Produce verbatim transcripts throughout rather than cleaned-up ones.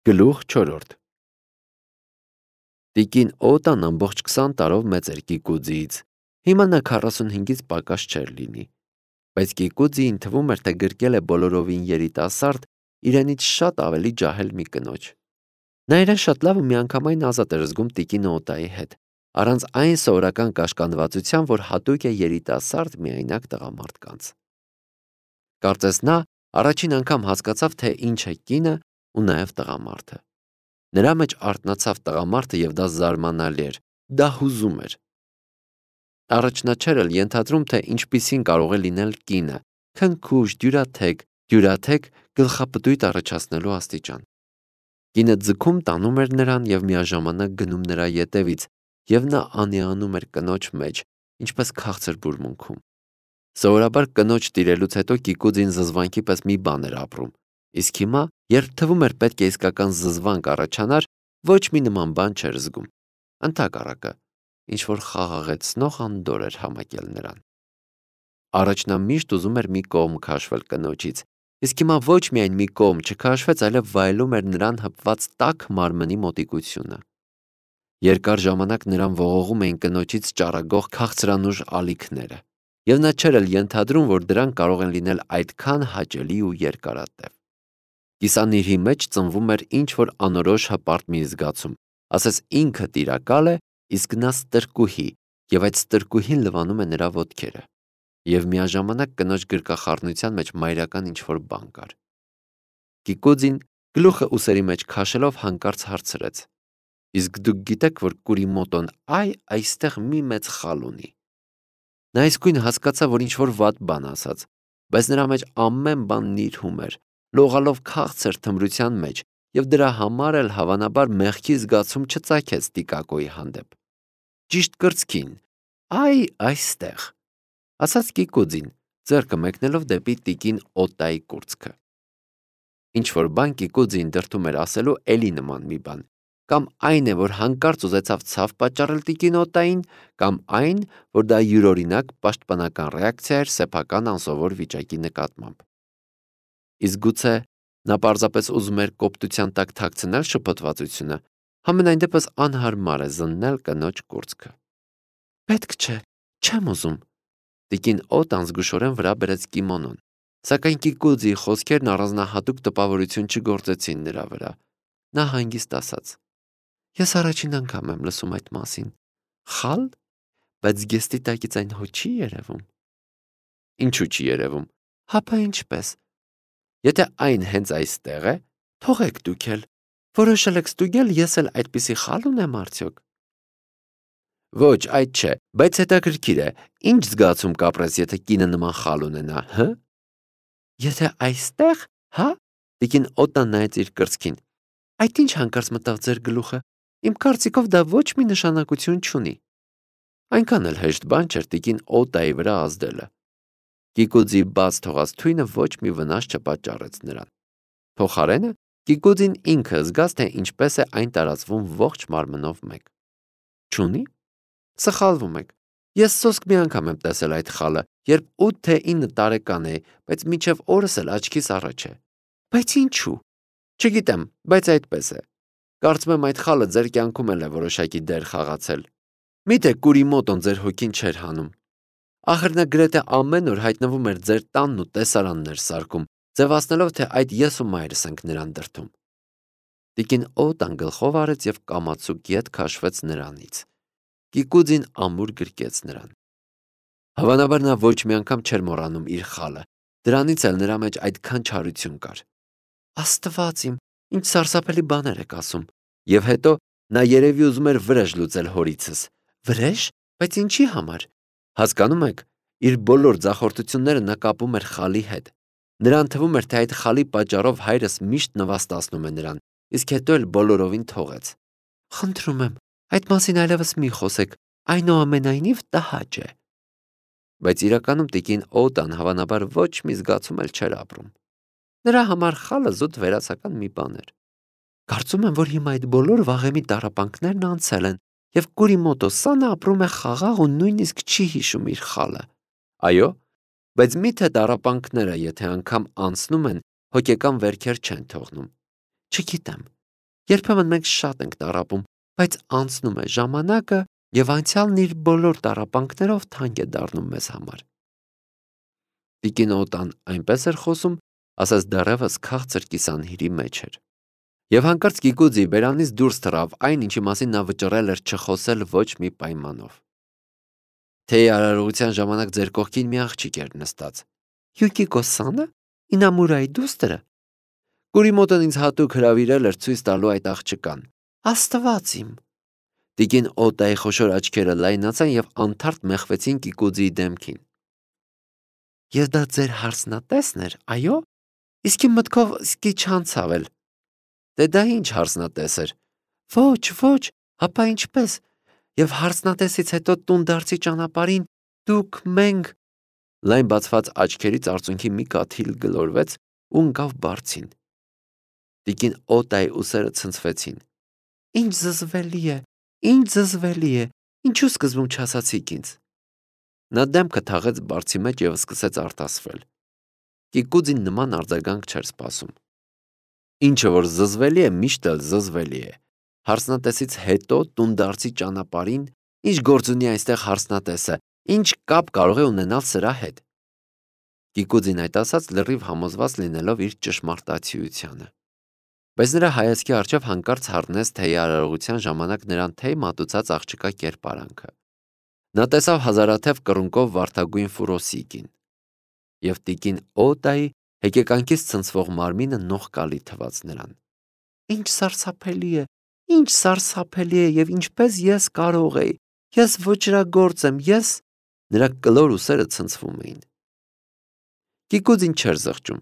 Գլուխ չորրորդ Տիկին Օտան ամբողջ քսան տարով մեծ էր Կիկուձիից, հիմա նա քառասունհինգից պակաս չէր լինի, բայց Կիկուձիին թվում էր, թե գրկել է բոլորովին երիտասարդ, իրենից շատ ավելի ջահել մի կնոջ։ Նա իրեն շատ լավ ու միանգամայն ազատ էր զգում տիկին Օտայի հետ, առանց այն սովորական կաշկանդվածության, որ հատուկ է երիտասարդ միայնակ տղամարդկանց։ Կարծես նա առաջին անգամ հասկացավ, թե ինչ է կինը ու նաև տղամարդը։ Նրա մեջ արթնացավ տղամարդը և դա զարմանալի էր, դա հուզում էր։ Առաջնա չէր էլ ենթադրում, թե ինչպիսին կարող է լինել կինը, քնքուշ, դյուրաթեք, դյուրաթեք գլխապտույտ առաջացնելու աստիճան։ Կինը ձգում տանում էր նրան և միաժամանակ գնում նրա ետևից, և նա անիանում էր կնոջ մեջ, ինչպես քաղցր բուրմունքում։ Սովորաբար կնոջ տիրելուց հետո Կիկուձին զզվանքի պես մի բան էր ապրում, իսկ հիմա, երբ թվում էր պետք է իսկական զզվանք առաջանար, ոչ մի նման բան չէր զգում։ Ընդհակառակը, ինչ-որ խաղաղեցնող անդորր էր համակել նրան։ Առաջ նա միշտ ուզում էր մի կողմ քաշվել կնոջից, իսկ հիմա ոչ միայն մի կողմ չքաշվեց, այլև վայելում էր նրան հպված տաք մարմնի մոտիկությունը։ Երկար ժամանակ նրան ողողում էին կնոջից ճառագող քաղցրանուժ ալիքները, և նա չէր էլ ենթադրում, որ դրանք կարող են լինել այդքան հաճելի ու երկարատև։ Կիսանիրհի մեջ ծնվում էր ինչ-որ անորոշ հպարտ մի զգացում, ասես ինքը տիրակալ է, իսկ նա ստրկուհի, և այդ ստրկուհին լվանում է նրա ոտքերը, և միաժամանակ կնոջ գրկախառնության մեջ մայրական ինչ-որ բան կար։ Կիկուձին գլուխը ուսերի մեջ քաշելով հանկարծ հարցրեց. «Իսկ դուք գիտեք, որ Կուրիմոտոն այ այստեղ մի մեծ խալ ունի»։ Նա իսկույն հասկացավ, որ ինչ-որ վատ բան ասաց, բայց նրա մեջ ամեն բան նիրհում էր, լողալով քաղցր թմրության մեջ, և դրա համար էլ հավանաբար մեղքի զգացում չծագեց Տիկակոյի հանդեպ։ «Ճիշտ կրծքին, այ այստեղ», ասաց Կիկուձին, ձեռքը մեկնելով դեպի տիկին Օտայի կուրծքը։ Ինչ-որ բան Կիկուձին դրդում էր ասելու էլի նման մի բան, կամ այն է, որ հանկարծ ուզեցավ ցավ պատճառել տիկին Օտային, կամ այն, որ դա յուրօրինակ պաշտպանական ռեակցիա էր սեփական անսովոր վիճակի նկատմամբ։ Իսկ գուցե նա պարզապես ուզում էր կոպտության տակ թաքցնել շփոթվածությունը, համենայն դեպս անհարմար է զննել կնոջ կուրծքը։ «Պետք չէ, չեմ ուզում», տիկին Օտան զգուշորեն վրա բերեց կիմոնոն, սակայն Կիկուձիի խոսքերն առանձնահատուկ տպավորություն չգործեցին նրա վրա։ Նա հանգիստ ասաց. «Ես առաջին անգամ եմ լսում այդ մասին։ Խալ, բայց զգեստի տակից այն հո չի երևում»։ «Ինչու չի երևում»։ «Հապա ինչպես։ Եթե այն հենց այստեղ է, թողեք դուք էլ, որոշել եք ստուգել, ես էլ այդպիսի խալ ունեմ արդյոք»։ «Ոչ, այդ չէ, բայց հետաքրքիր է, ինչ զգացում կապրես, եթե կինը նման խալ ունենա, հը»։ «Եթե այստեղ, հա»։ Տիկին Օտան նայեց իր կրծքին։ «Այդ ինչ հանկարծ մտավ ձեր գլուխը։ Իմ կարծիքով դա ոչ մի նշանակություն չունի»։ Այնքան էլ հեշտ բան չէր տիկին Օտայի վրա ազդելը։ Կիկուձիի բաց թողած թույնը ոչ մի վնաս չպատճառեց նրան։ Փոխարենը Կիկուձին ինքը զգաց, թե ինչպես է այն տարածվում ողջ մարմնով մեկ։ Չունի։ Սխալվում եք։ Ես սոսկ մի անգամ եմ տեսել այդ խալը, երբ ութ թե ինը տարեկան էի, բայց մինչև օրս էլ աչքիս առաջ է։ Բայց ինչու։ Չգիտեմ, բայց այդպես է։ Կարծում եմ այդ խալը ձեր կյանքում էլ է որոշակի դեր խաղացել։ Միթե Կուրիմոտոն ձեր հոգին չէր հանում։ Ախր նա գրեթե ամեն օր հայտնվում էր ձեր տանն ու տեսարաններ սարքում, ձևացնելով, թե այդ ես ու մայրս ենք նրան դրդում։ Տիկին Օտան գլխով արեց և կամացուկ ետ քաշվեց նրանից։ Կիկուձին ամուր գրկեց նրան։ Հավանաբար նա ոչ մի անգամ չէր մոռանում իր խալը, դրանից էլ նրա մեջ այդքան չարություն կար։ Աստված իմ, ինչ սարսափելի բաներ եք ասում։ Եվ հետո նա երևի ուզում էր վրեժ լուծել հորիցս։ Վրեժ, բայց ինչի համար։ Հասկանում եք, իր բոլոր ձախորդությունները նա կապում էր խալի հետ։ Նրան թվում էր, թե այդ խալի պատճառով հայրս միշտ նվաստացնում է նրան, իսկ հետո էլ բոլորովին թողեց։ Խնդրում եմ, այդ մասին այլևս մի խոսեք, այնուամենայնիվ տհաճ է։ Բայց իրականում տիկին Օտան հավանաբար ոչ մի զգացում էլ չէր ապրում։ Նրա համար խալը զուտ վերացական մի բան էր։ Կարծում եմ, որ հիմա այդ բոլոր վաղեմի տառապանքներն անցել են, և Կուրիմոտո Սանը ապրում է խաղաղ ու նույնիսկ չի հիշում իր խալը։ Այո, բայց միթե տառապանքները, եթե անգամ անցնում են, հոգեկան վերքեր չեն թողնում։ Չգիտեմ, Երբեմն մենք շատ ենք տառապում, բայց անցնում է ժամանակը եւ անցյալն իր բոլոր տառապանքներով թանկ է դառնում մեզ համար։ Տիկին Օտան այնպես էր խոսում, ասես դեռևս քաղցր կիսանհիրի մեջ էր։ Եվ հանկարծ Կիկուձի բերանից դուրս թռավ այն, ինչի մասին նա վճռել էր չխոսել ոչ մի պայմանով։ Թեյի արարողության ժամանակ ձեր կողքին մի աղջիկ էր նստած։ Յուկիկո Սանը, Ինամուրայի դուստր։ Կուրիմոտն ինձ հատուկ հրավիրել էր ցույց տալու այդ աղջկան։ Աստված իմ։ Տիկին Օտայի խոշոր աչքերը լայնացան եւ անթարթ մեղվեցին Կիկուձիի դեմքին։ Ես դա ձեր հարսնատեսն էր, այո։ Իսկ իմ մտքով սկի չանցավել։ Դե դա ինչ հարսնատես էր։ Ոչ, ոչ, հապա ինչպես։ Եվ հարսնատեսից հետո տունդարձի ճանապարհին դուք մենք լայն բացված աչքերից արցունքի մի կաթիլ գլորվեց ու ընկավ բարձին։ Տիկին Օտայի ուսերը ցնցվեցին։ Ինչ զզվելի է, ինչ զզվելի է, ինչու սկզբում չասացիք ինձ։ Նա դեմքը թաղեց բարձի մեջ եւ սկսեց արտասվել։ Կիկուձին նման արձագանք չէր սպասում։ Ինչը որ զզվելի է, միշտ էլ զզվելի է։ Հարսնատեսից հետո տունդարձի ճանապարհին ինչ գործ ունի այստեղ հարսնատեսը, ինչ կապ կարող է ունենալ սրա հետ։ Կիկուձին այդ ասաց լրիվ համոզված լինելով իր ճշմարտացիությանը։ Բայց նրա հայացքի առջև հանկարծ հառնեց թեյի արարողության ժամանակ նրան թեյ մատուցած աղջկա կերպարանքը։ Նա տեսավ հազարաթև կռունկով վարդագույն ֆուրոսիկին եւ տիկին Օտայի հեկեկանքից ցնցվող մարմինը նողկալի թվաց նրան։ Ինչ սարսափելի է, ինչ սարսափելի է եւ ինչպես ես կարող էի։ Ես ոչրագործ եմ, ես նրա կլոր ուսերը ցնցվում էին։ Կիկուձին չէր զղջում։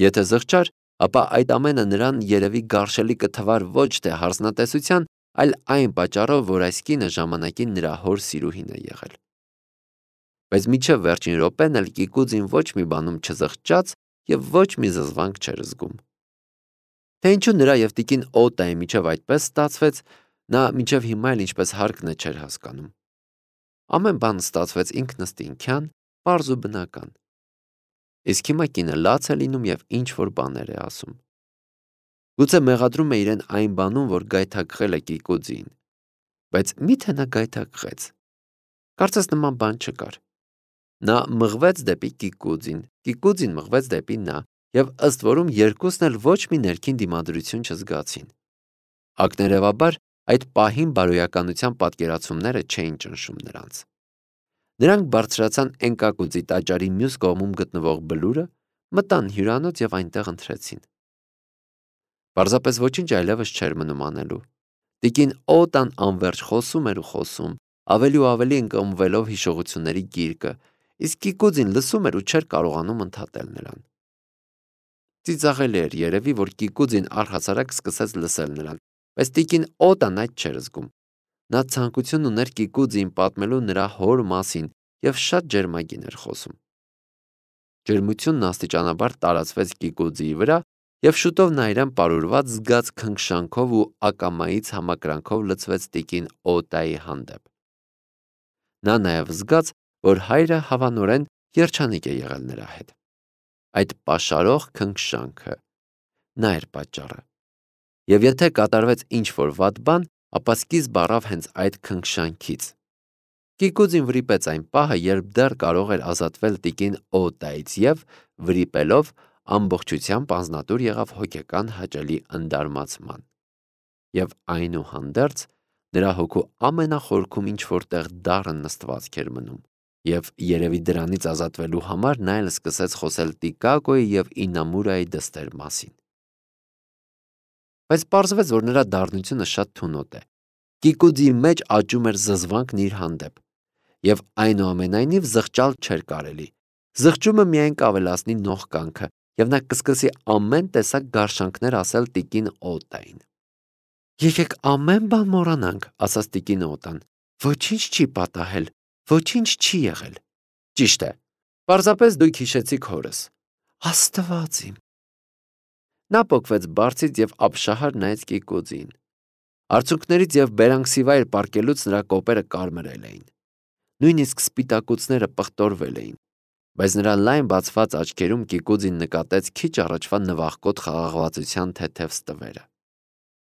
Եթե զղջար, ապա այդ ամենը նրան երևի գարշելի կթվար ոչ թե հարսնատեսության, այլ այն պատճառով, որ այս կինը ժամանակին նրա հոր սիրուհին է եղել։ Բայց մինչև վերջին րոպեն էլ Կիկուձին ոչ մի բանում չզղջաց եւ ոչ մի զզվանք չէր զգում։ Թե ինչու նրա եւ տիկին Օտայի միջև այդպես ստացվեց, նա մինչև հիմա էլ ինչպես հարկն է չէր հասկանում։ Ամեն բան ստացվեց ինքնըստինքյան, պարզ ու բնական։ Իսկ հիմա կինը լաց է լինում եւ ինչ որ բաներ է ասում։ Գուցե մեղադրում է իրեն այն բանում, որ գայթակղել է Կիկուձին։ Բայց մի՞թե նա գայթակղեց։ Կարծես նման բան չկար։ Նա մղվեց դեպի Կիկուձին, Կիկուձին մղվեց դեպի նա, եւ ըստ որում երկուսն էլ ոչ մի ներքին դիմադրություն չզգացին։ Ակներևաբար այդ պահին բարոյականության պատկերացումները չէին ճնշում նրանց։ Նրանք բարձրացան Էնկակուձի տաճարի մյուս կողմում գտնվող բլուրը, մտան հյուրանոց եւ այնտեղ ընթրեցին։ Պարզապես ոչինչ այլևս չէր մնում անելու։ Տիկին Օտան անverջ խոսում էր ու խոսում, ավելի ու ավելի ընկղմվելով հիշողությունների գիրկը, իսկ Կիկուձին լսում էր ու չէր կարողանում ընդհատել նրան։ Ծիծաղելի էր երևի, որ Կիկուձին առհասարակ սկսեց լսել նրան, բայց տիկին Օտան այդ չէր զգում։ Նա ցանկություն ուներ Կիկուձին պատմելու նրա հոր մասին եւ շատ ջերմագին էր խոսում։ Ջերմությունն աստիճանաբար տարածվեց Կիկուձիի վրա եւ շուտով նա իրեն պարուրված զգաց քնքշանքով ու ակամայից համակրանքով լցվեց տիկին Օտայի հանդեպ։ Նա նաեւ զգաց, որ հայրը հավանորեն երջանիկ է եղել նրա հետ։ Այդ պաշարող քնքշանքը նա էր պատճառը։ Եվ եթե կատարվեց ինչ-որ վատ բան, ապա սկիզբ առավ հենց այդ քնքշանքից։ Կիկուձին վրիպեց այն պահը, երբ դեռ կարող էր ազատվել տիկին Օտայից եւ վրիպելով ամբողջությամբ անձնատուր եղավ հոգեկան հաճելի ընդարմացման։ Եվ այնուհանդերձ նրա հոգու ամենախորքում ինչ-որտեղ դառն նստվածք էր մնում։ Եվ երևի դրանից ազատվելու համար նա էլ սկսեց խոսել Տիկակոյի եւ Ինամուրայի դստեր մասին։ Բայց պարզվեց, որ նրա դառնությունը շատ թունոտ է։ Կիկուձիի մեջ աճում էր զզվանքն իր հանդեպ, եւ այնուամենայնիվ զղջալ չէր կարելի։ Զղջումը միայն կավելացնի նողկանքը, եւ նա կսկսի ամեն տեսակ գարշանքներ ասել տիկին Օտային։ Եկեք ամեն բան մոռանանք, ասաց տիկին Օտան։ Ոչինչ չի պատահել, ոչինչ չի եղել։ Ճիշտ է։ Պարզապես դուք հիշեցիք հորս։ Աստված իմ։ Նա պոկվեց բարձից եւ ապշահար նայեց Կիկուձին։ Արցունքներից եւ բերանքսիվայր պարկելուց նրա կոպերը կարմրել էին։ Նույնիսկ սպիտակուցները պղտորվել էին, բայց նրա լայն բացված աչքերում Կիկուձին նկատեց քիչ առաջվա նվախկոտ խաղաղվածության թեթև ստվերը։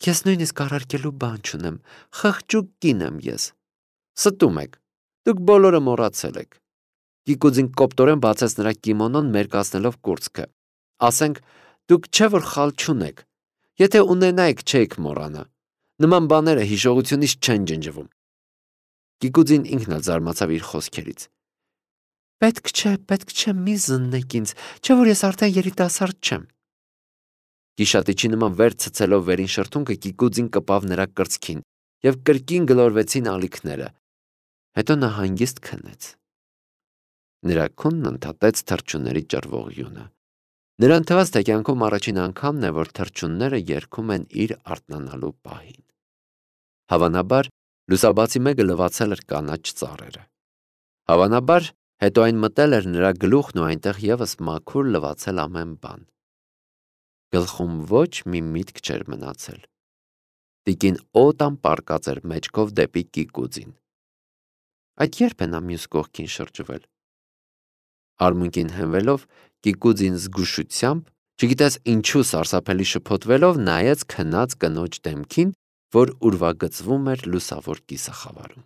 Ես նույնիսկ առարկելու բան չունեմ, խղճուկ կին եմ ես։ Ստում եք, դուք բոլորը մոռացել եք։ Կիկուձին կոպտորեն բացեց նրա կիմոնոն մերկացնելով կուրծքը։ Ասենք, դուք չէ որ խալ չունեք, եթե ունենայիք չէիք մոռանա։ Նման բաները հիշողությունից չեն ջնջվում։ Կիկուձին ինքն էլ զարմացավ իր խոսքերից։ Պետք չէ, պետք չէ, մի զննեք ինձ, չէ որ ես արդեն երիտասարդ չեմ։ Գիշատիչի նման վեր ցցելով վերին շրթունքը Կիկուձին կպավ նրա կրծքին և կրկին գլորվեցին ալիքները։ Հետո նա հանգիստ քնեց։ Նրա քունն ընդհատեց թռչունների ճռվող յունը։ Նրան թվաց, թե կյանքում առաջին անգամն է, որ թռչունները երգում են իր արթնանալու պահին։ Հավանաբար, լուսաբացի մեկը լվացել էր կանաչ ծառերը։ Հավանաբար, հետո այն մտել էր նրա գլուխն ու այնտեղ ևս մաքուր լվացել ամեն բան։ Գլխում ոչ մի միտք չէր մնացել։ Տիկին Օտան պառկած էր մեջքով դեպի Կիկուձին։ Այդ երբ է նա մյուս կողքին շրջվել։ Արմունկին հենվելով, Կիկուձին զգուշությամբ, չգիտես ինչու սարսափելի շփոթվելով, նայեց քնած կնոջ դեմքին, որ ուրվագծվում էր լուսավոր կիսախավարում։